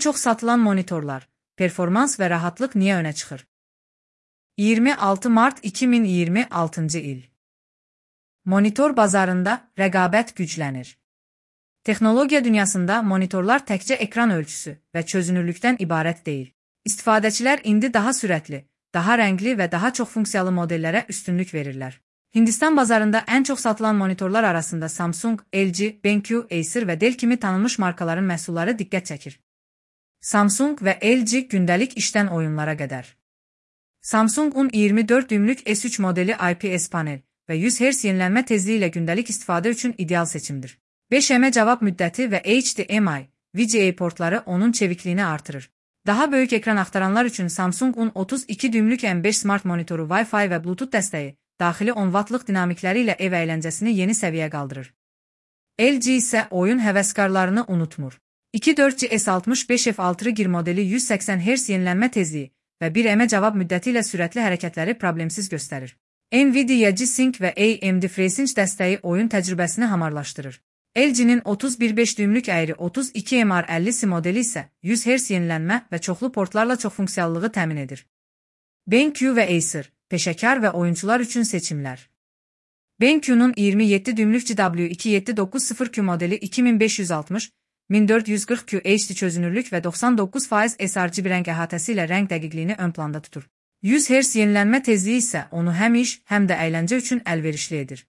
çox satılan monitorlar, performans və rahatlıq niyə önə çıxır? 26 mart 2026-cı il. Monitor bazarında rəqabət güclənir. Texnologiya dünyasında monitorlar təkcə ekran ölçüsü və çözünürlükdən ibarət deyil. İstifadəçilər indi daha sürətli, daha rəngli və daha çox funksiyalı modellərə üstünlük verirlər. Hindistan bazarında ən çox satılan monitorlar arasında Samsung, LG, BenQ, Acer və Dell kimi tanınmış markaların məhsulları diqqət çəkir. Samsung və LG gündəlik işdən oyunlara qədər. Samsung-un 24 düymlük S3 modeli IPS panel və 100 Hz yenilənmə tezliyi ilə gündəlik istifadə üçün ideal seçimdir. 5M cavab müddəti və HDMI, VGA portları onun çevikliyini artırır. Daha böyük ekran axtaranlar üçün Samsung-un 32 düymlük M5 smart monitoru Wi-Fi və Bluetooth dəstəyi, daxili 10 Watt-lıq dinamikləri ilə ev əyləncəsini yeni səviyyə qaldırır. LG isə oyun həvəskarlarını unutmur. 24 S65F6 gir modeli 180 Hz yenilənmə tezliyi və 1M cavab müddəti ilə sürətli hərəkətləri problemsiz göstərir. Nvidia G-Sync və AMD FreeSync dəstəyi oyun təcrübəsini hamarlaşdırır. LG-nin 31.5 düymlük əyri 32MR50C modeli isə 100 Hz yenilənmə və çoxlu portlarla çox funksiyallığı təmin edir. BenQ və Acer, peşəkar və oyuncular üçün seçimlər. BenQ-nun 27 düymlük GW2790Q modeli 2560, 1440Q HD çözünürlük və 99% sRGB rəng əhatəsi ilə rəng dəqiqliyini ön planda tutur. 100 Hz yenilənmə tezliyi isə onu həm iş, həm də əyləncə üçün əlverişli edir.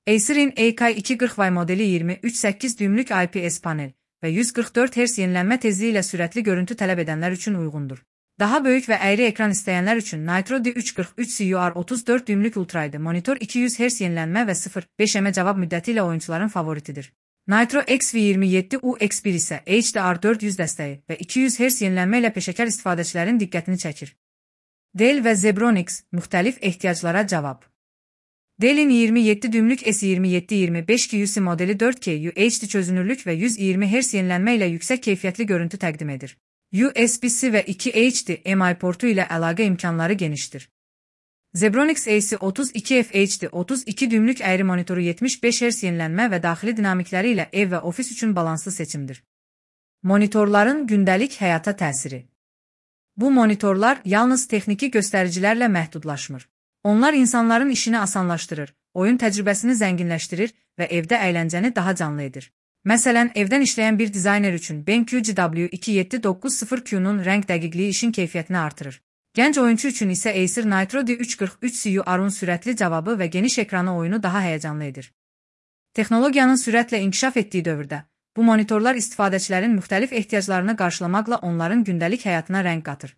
Acer'in AK240Y modeli 23.8 düymlük IPS panel və 144 Hz yenilənmə tezliyi ilə sürətli görüntü tələb edənlər üçün uyğundur. Daha böyük və əyri ekran istəyənlər üçün Nitro D343 CUR34 düymlük ultraydı monitor 200 Hz yenilənmə və 0.5M cavab müddəti ilə oyuncuların favoritidir. Nitro XV27UX1 isə HDR400 dəstəyi və 200 Hz yenilənmə ilə peşəkar istifadəçilərin diqqətini çəkir. Dell və Zebronics müxtəlif ehtiyaclara cavab. Dell'in 27 düymlük S2725QC modeli 4K UHD çözünürlük və 120 Hz yenilənmə ilə yüksək keyfiyyətli görüntü təqdim edir. USB-C və 2 HDMI portu ilə əlaqə imkanları genişdir. Zebronics AC32FHD 32 düymlük əyri monitoru 75 Hz yenilənmə və daxili dinamikləri ilə ev və ofis üçün balanslı seçimdir. Monitorların gündəlik həyata təsiri. Bu monitorlar yalnız texniki göstəricilərlə məhdudlaşmır. Onlar insanların işini asanlaşdırır, oyun təcrübəsini zənginləşdirir və evdə əyləncəni daha canlı edir. Məsələn, evdən işləyən bir dizayner üçün BenQ GW2790Q'nun rəng dəqiqliyi işin keyfiyyətini artırır. Gənc oyunçu üçün isə Acer Nitro D343 CUR-un sürətli cavabı və geniş ekranı oyunu daha həyəcanlı edir. Texnologiyanın sürətlə inkişaf etdiyi dövrdə, bu monitorlar istifadəçilərin müxtəlif ehtiyaclarını qarşılamaqla onların gündəlik həyatına rəng qatır.